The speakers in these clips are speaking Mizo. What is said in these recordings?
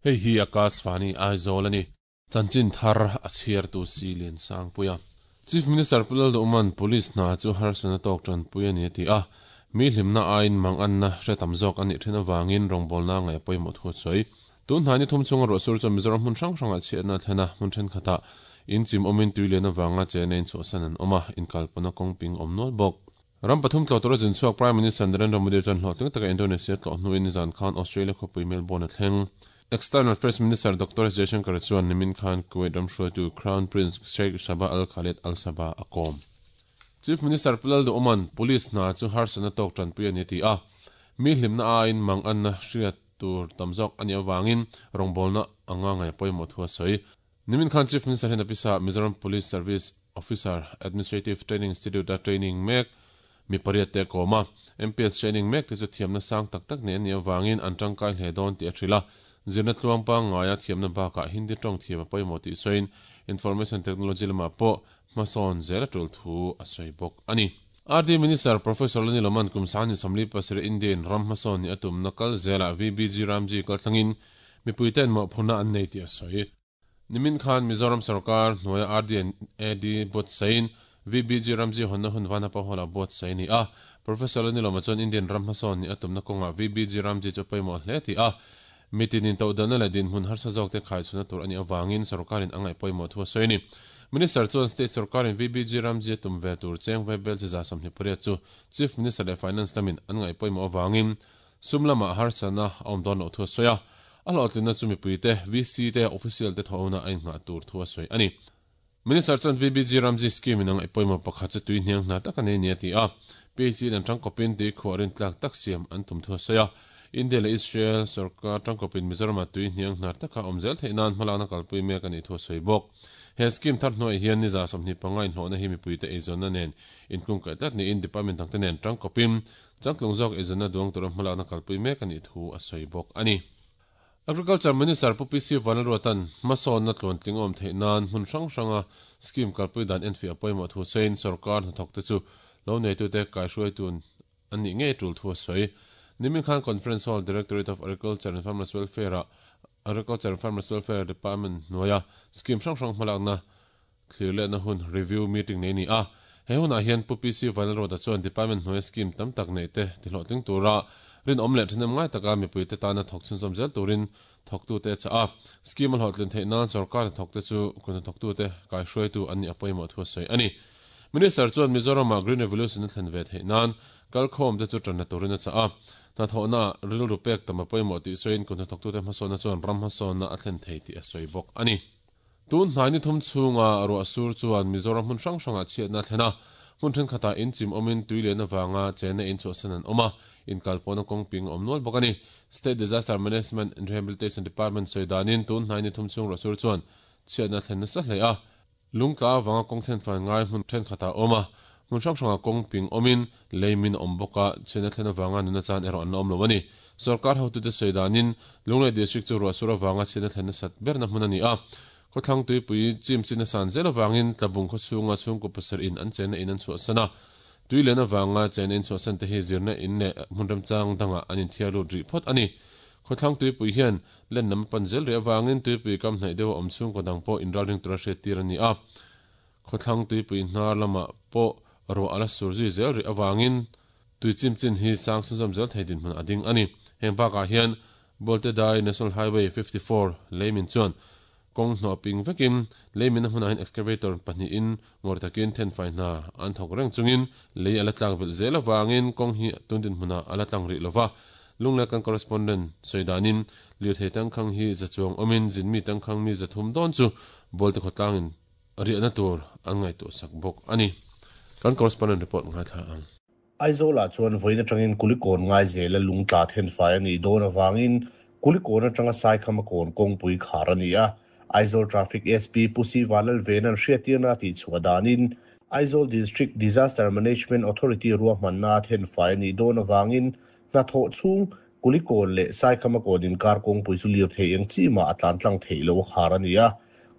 Hei hi Akashvani Aizawl a ni. Chanchin thar a chhiartu si Liansangpuia. Chief Minister Pu Lalduhman Police hna chu harsatna tawk tanpui a ni a ti a. Mi hlimna aiin manganna hre tam zawk a nih then avangin rawngbawlna ngaih a pawimawh thu a sawi. Tun hnai ni thum chhunga ruahsur chuan Mizoram hmun hrang hrangah chhiatna a thlen a, hmun thenkhatah in chim awmin tui lian avanga chena in chhuahsan an awm a, inkalpawhna kawng ping awm nual bawk. Ram pathum tlawh tura zin chhuak Prime Minister Narendra Modi chuan hlawhtling taka Indonesia tlawh hnuin nizan khan Australia khawpui Melbourne a thleng. External Affairs Minister Doctor S Jaishankar chuan nimin khan Kuwait ram hruaitu Crown Prince Sheikh Sabah Al Khaled Al Sabah a kawm. Chief Minister Pu Lalduhawma'n Police hna chu harsatna tawk tanpui a ni a ti a, mi hlimna aiin manganna hriat tur tam zawk a nih avangin rawngbawlna anga ngaih a pawimawh thu a sawi. Nimin khan Chief Minister hian a pisa Mizoram Police Service Officer Administrative Training Institute-a training mek mi pariat te a kawm a. MPS training mek te chu thiamna sang tak tak nei an nih avangin an tangkai hle dawn tih a hrilh a. Zirna tluang pangngaia thiamna bakah Hindi tawng thiam a pawimawh tih sawiin Information Technology lamah pawh hmasawn zel a tul thu a sawi bawk a ni. RD Minister Professor Lani Loman kum 2027 India in ram hmasawn nih a tumna kal zelah VBG Ramji kalthlangin Mipuite'n mawhphurhna an nei tih a sawi. Nimin khan Mizoram sorkar hnuaia RD and AD buatsain VBG Ramji hawnna hun Vanapa Hall-ah buatsaih a ni a. Professor Lanilawma chuan Indian ram hmasawn nih a tumna kawngah VBG Ramji chu a pawimawh hle tih a. Mitin intohdelna leh dinhmun harsa zawkte khaichhunna tur a nih avangin sorkarin a ngaih pawimawh thu a sawi a ni. Minister chuan State sorkarin VBG Ramji a tum ve tur cheng vaibel chi 28 chu Chief Minister leh Finance lamin an ngaih pawimawh avangin Sum lamah harsatna a awm dawn loh thu a sawi a, a hlawhtlinna chu mipuite, VC te, official te thawhna a innghah tur thu a sawi a ni. Minister chuan VBG Ramji scheme in a ngaih pawimawh pakhat chu tui hniang hna tak a nei ni a ti a, PHE in an tangkawpin tui khuah rintlak tak siam an tum thu a sawi a. India leh Israel sorkar tangkawpin Mizoramah tui hniang hnar taka awm zel theih nan hmalakna kalpui mek a nih thu a sawi bawk. He scheme thar hnuaiah hian ni 25 inhlawhna hi mipuite eizawnna nen inkungkaih tlat niin department dangte nen tangkawpin Changtlung zawk eizawnna duang tura hmalakna kalpui mek a nih thu a sawi bawk a ni. Agriculture Minister Pu PC Vanlalruata'n hmasawnna tluantling a awm theih nan hmun hrang hranga scheme kalpui dan enfiah a pawimawh thu sawiin sorkar hnathawkte chu lo neitute kaihruaitu an nih ngei tul thu a sawi. Nimin khan Conference Hall Directorate of Agriculture and Farmers Welfare-ah Agriculture and Farmers Welfare Department hnuaia scheme hrang hrang hmalakna Thlirlehna hun review meeting nei a ni a, he hunah hian Pu PC Vanlalruata chuan Department hnuaia scheme tam tak neih te tihlawhtling tura rinawm leh ṭhahnem ngai taka mipuite tana thawk chhunzawm zel turin thawktute a chah a. Scheme a hlawhtlin theih nan sorkar hnathawkte chu kut hnathawktute kaihruaitu an nih a pawimawh thu a sawi a ni. Minister chuan Mizoramah Green Revolution a thlen ve theih nan kalkhawmte chu ṭanna turin a chah a. Hnathawhnaah rilru pek tam a pawimawh tih sawiin kut hnathawktute hmasawnna chuan ram hmasawnna a thlen thei tih a sawi bawk a ni. Tun hnai ni thum chhunga ruah sur chuan Mizoram hmun hrang hrangah chhiatna a thlen a, hmun thenkhatah in chim awmin tui lian avanga chenna in chhuahsan an awm a, inkalpawhna kawng ping a awm nual bawk a ni. State Disaster Management and Rehabilitation Department sawi danin tun hnai ni thum chhung ruah sur chuan chhiatna a thlen nasa hle a, lungtla avanga kawng thenfai ngai hmun thenkhatah a awm a, hmun hrang hrangah kawng ping awmin lei min a awm bawk a, chhiatna thlen avanga nuna chan erawh an la awm lo a ni. Sorkar hotute sawi danin Lunglei District chu ruahsur avanga chhiatna thlen nasat berna hmun a ni a. Khawthlang tuipui chim chin a san zel avangin Tlabung khawchhunga chhungkaw pasarih in an chenna in an chhuahsan a. Tui len avanga chenna in chhuahsan te hi zirna in leh hmun remchang dangah an inthiar lut rih phawt a ni. Khawthlang tuipui hian len lam a pan zel rih avangin tuipui kam hnaih deuha awm chhungkaw dang pawh inralring tura hriattir a ni a. Khawthlang tuipui hnar lamah pawh ruah a la sur zui zel rih avangin Tui chim chin hi sang chhunzawm zel thei dinhmun a ding a ni. Heng bakah hian Boltedai National Highway 54 leimin chuan kawng hnawh ping vekin leimin a hmunah hian excavator pahnihin ngawr takin thenfai hna an thawk reng chungin lei a la tlak belh zel avangin kawng hi tun dinhmunah a la tlang rih lova. Lunglei kan correspondent sawi danin lirthei tangkhang hi za chuang awmin zinmi tangkhang mi 300 dawn chu Bolte khawtlangin riahna tur an ngaihtuahsak bawk a ni. Kan correspondent report ngaithla ang. Aizawlah chuan vawiin atangin Kulikawn Ngaizela lungtla thenfai a nih dawn avangin Kulikawn atanga Saikhama kawn kawngpui khar a ni a. Aizawl Traffic SP Pu Si Vanlalvena'n hriattirna a tihchhuah danin Aizawl District Disaster Management Authority ruahmanna a thenfai a nih dawn avangin hnathawh chhung Kulikawn leh Saikhama kawn inkar kawngpui chu lirthei eng chi mah a tlan tlang theih loh a khar a ni a.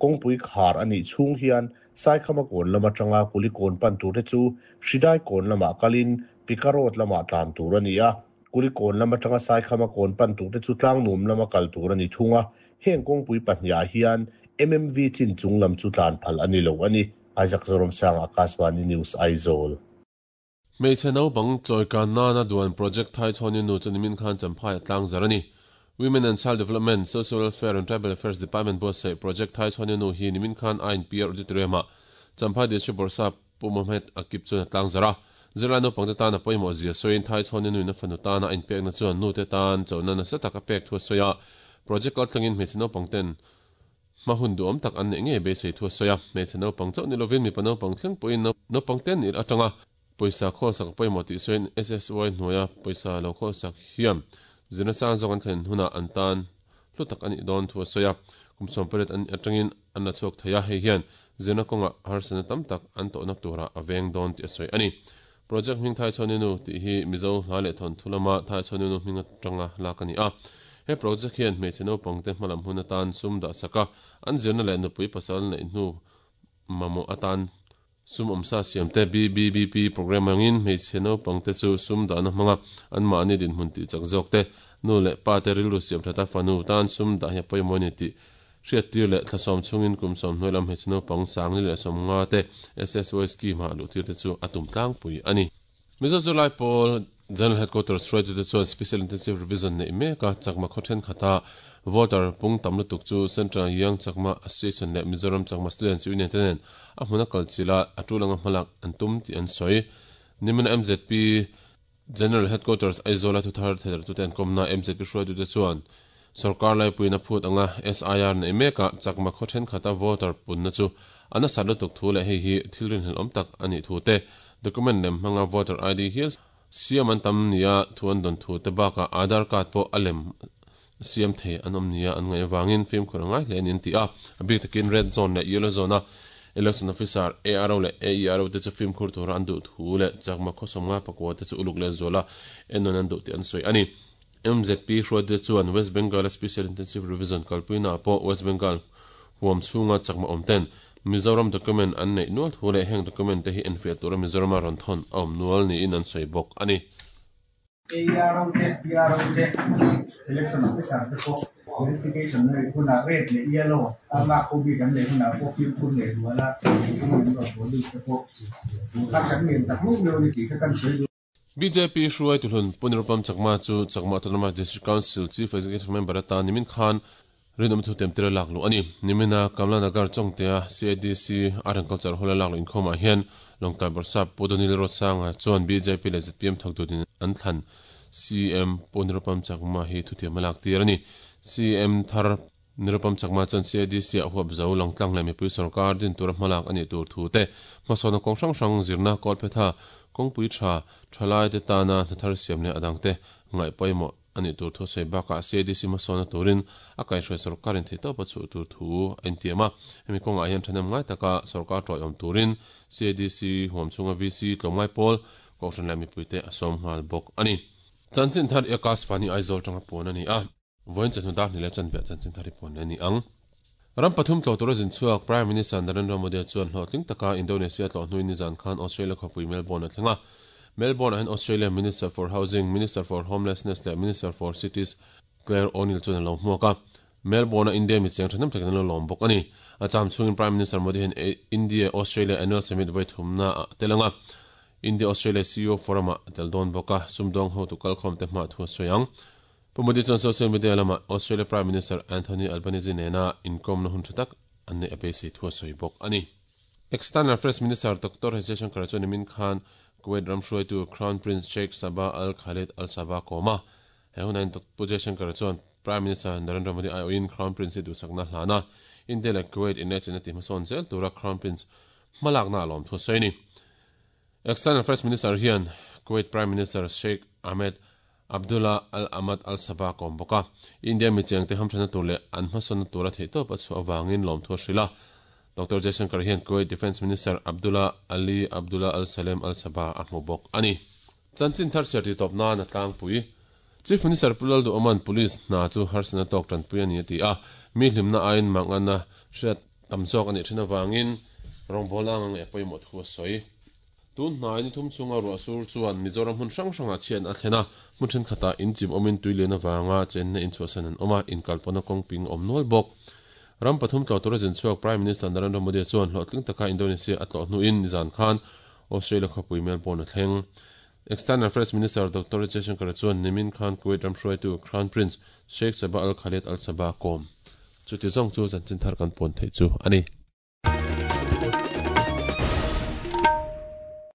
Kawngpui khar a nih chhung hian Saikhama kawn lam atanga Kulikawn pan turte chu Hridai kawn lamah kalin Pika Road lamah tlan tur a ni a. Kulikawn lam atanga Saikhama kawn pan turte chu Tlangnuam lama kal tur a ni thung a, heng kawngpui pahnihah hian MMV chin chung lam chu tlan phal a ni lo a ni. Isaac Zoramsanga, Akashvani News, Aizawl. Hmeichhe naupang chawikan nana duan Project Thaichhawni nu chu nimin khan Champhai a tlang zar a ni. Women and Child Development, Social Welfare and Tribal Affairs Department buatsaih Project Thaichhawni nu hi nimin khan INPR Auditorium-ah Champhai District Bawrhsap Pu Mohammed Akib chuan a tlang zar a. Zirlai naupangte tan a pawimawh zia sawiin Thaichhawni nuin a fanu tana a inpekna chuan nute tan chona nasa tak a pek thu a sawi a. Project kaltlangin hmeichhe naupangten Hma hun duhawm tak an neih ngei beisei thu a sawi a, hmeichhe naupang chauh ni lovin mipa naupang thleng pawhin naupang ten ir atanga pawisa khawlsak a pawimawh tih sawiin SSY hnuaia pawisa lo khawlsak hian zirna sang zawk an thlen hunah an tan hlu tak a nih dawn thu a sawi a. Kum 18 an atangin an la chhuak thei a, hei hian zirna kawngah harsatna tam tak an tawhna turah a veng dawn tih a sawi a ni. Project hming Thaichhawninu tih hi Mizo hla leh thawnthu lama Thaichhawninu hming atanga lak a ni a. He project hian hmeichhe naupangte hmalam hun atan sum dah sak a, an zirna leh nupui pasal neih hnu mamawh atan sum awmsa siamte BBBP programme angin hmeichhe naupangte chu sum dahna hmanga anmahni dinhmun tih chak zawk te, nu leh pa te rilru siam that a fanu tan sum dah hi a pawimawh a ni tih Hriattir leh thlasawm chhungin kum 90 lam hmeichhe naupang sangli leh 50 te SSY scheme ah luhtir te chu a tum tlangpui a ni. Mizo Zirlai Pawl General Headquarters hruaitute chuan Special Intensive Revision neih mek a, Chakma khaw thenkhat-a voter pung tam lutuk chu Central Young Chakma Association leh Mizoram Chakma Students Union te nen a hmun a kal chilh a, a tul anga hmalak an tum tih an sawi. Nimina mzp General Headquarters Aizawl-a thuthar thedartute an kawmna mzp hruaitute chuan sawrkar laipuiin a phut anga SIR neih mekah Chakma khaw thenkhat-a voter punna chu a nasat lutuk thu leh hei hi thil rinhlelh awm tak a nih thu te, document lem hmanga voter ID hial siam an tam nia thu an dawn thu te bakah Aadhaar card pawh a lem siam thei an awm nia an ngaih avangin fimkhur a ngai hle a ni an ti a. A bik takin Red Zone leh Yellow Zone-a Election Officer, ARO leh AERO te chu fimkhur tura an duh thu leh Chakma khawsawm nga pakua te chu uluk leh zuala ennawn an duh tih an sawi a ni. MZP hruaite chuan West Bengal-a Special Intensive Revision kalpuinaah pawh West Bengal huam chhunga Chakma awm ten Mizoram document an neih nual thu leh heng document te hi enfiah tura Mizorama rawn thawn a awm nual niin an sawi bawk a ni. ARO te, PRO te, Election Officer te pawh verification a nih hunah red leh yellow a lak ho bik an neih hunah pawh fimkhur leh zuala mipui an rawn haw lut te pawh tun kha kan ngen tak meuh meuh a ni tih kha kan sawi duh. Bjp hruaitu hlun Pu Nirupam Chakma chu Chakma Autonomous District Council Chief Executive Member atan nimin khan Rinawm thu tem tir a lak luh a ni. Nimina Kamla Nagar Chawngtea CADC Art and Culture Hall a lak luh inkhawmah hian Lawngtlai Bawrhsap Pu Donil Ruatsanga chuan bjp leh zpm thawktu an thlan CM Pu Nirupam Chakma hi thutiam a lak tir a ni. CM thar Nirupam Chakma chuan CADC ah huap zo Lawngtlang leh mipui sorkar din tura hmalak a nih tur thu te, hmasawnna kawng hrang hrang zirna kawlphetha kawngpui tha thalaite tana hnathar siam leh a dangte ngaih pawimawh a nih tur thu sawi bakah CADC hmasawnna turin a kaihhruai sorkarin theihtawp a chhuh tur thu a intiam a. Hemi kawngah hian thahnem ngai taka sorkar tawiawm turin CADC huam chhunga VC tlawmngai pawl, Kohhran leh mipuite a sawm nghal bawk a ni. Chanchin thar i Akash Fani Aizawl tanga puan a ni a. Vawiin chawhnu dar hnih leh chanve chanchin thar i puan leh a ni ang. Ram pathum tlawh tura zin chhuak Prime Minister Narendra Modi chuan hlawhtling taka Indonesia tlawh hnuin nizan khan Australia khawpui Melbourne a thleng a. Melbourne-ah hian Australia Minister for Housing, Minister for Homelessness leh Minister for Cities Clare O'Neil chuan a lo hmuak a. Melbourne-a India mi cheng thahnem takin an lo lawm bawk a ni. A cham chhungin Prime Minister Modi hian India-Australia Annual Summit vawi thumna ah a tel ang a. India-Australia CEO Forum-ah a tel dawn bawk a, sumdawng hotu kalkhawmte hmah thu a sawi ang. Pu Modi chuan social media lamah Australia Prime Minister Anthony Albanese nena inkawmna hun tha tak an neih a beisei thu a sawi bawk a ni. External Affairs Minister Doctor S Jaishankar chuan nimin khan Kuwait ram hruaitu Crown Prince Sheikh Sabah Al Khalid Al Sabah kawm a. He hunah hian Pu Jaishankar chuan Prime Minister Narendra Modi aiawhin Crown Prince hi duhsakna hlan a, India leh Kuwait inlehchenna tihhmasawn zel tura Crown Prince hmalakna a lawm thu a sawi a ni. External Affairs Minister hian Kuwait Prime Minister Sheikh Ahmed Abdullah Al Ahmad Al Sabah kawm bawk a, India mi chengte hamthanna tur leh an hmasawnna tura theihtawp a chhuah avangin lawmthu a hrilh a. Doctor Jaishankar hian Kuwait Defence Minister Abdullah Ali Abdullah Al Salem Al Sabah a hmu bawk a ni. Chanchin thar chhiar tih tawp nan a tlangpui. Chief Minister Pu Lalduhawma'n Police hna chu harsatna tawk tanpui a ni a ti a, mi hlimna aiin manganna hriat tam zawk a nih thin avangin rawngbawlna anga ngaih a pawimawh thu a sawi. Tun hnai ni thum chhunga ruah sur chuan Mizoram hmun hrang hrangah chhiatna a thlen a, hmun thenkhatah in chim awmin tui lian avanga chenna in chhuahsan an awm a, inkalpawhna kawng ping a awm nual bawk. Ram pathum tlawh tura zin chhuak Prime Minister Narendra Modi chuan hlawhtling taka Indonesia a tlawh hnuin nizan khan Australia khawpui Melbourne a thleng. External Affairs Minister Doctor Jaishankar chuan nimin khan Kuwait ram hruaitu Crown Prince Sheikh Sabah Al Khaled Al Sabah a kawm. Chuti zawng chu chanchin thar kan pawn theih chu a ni.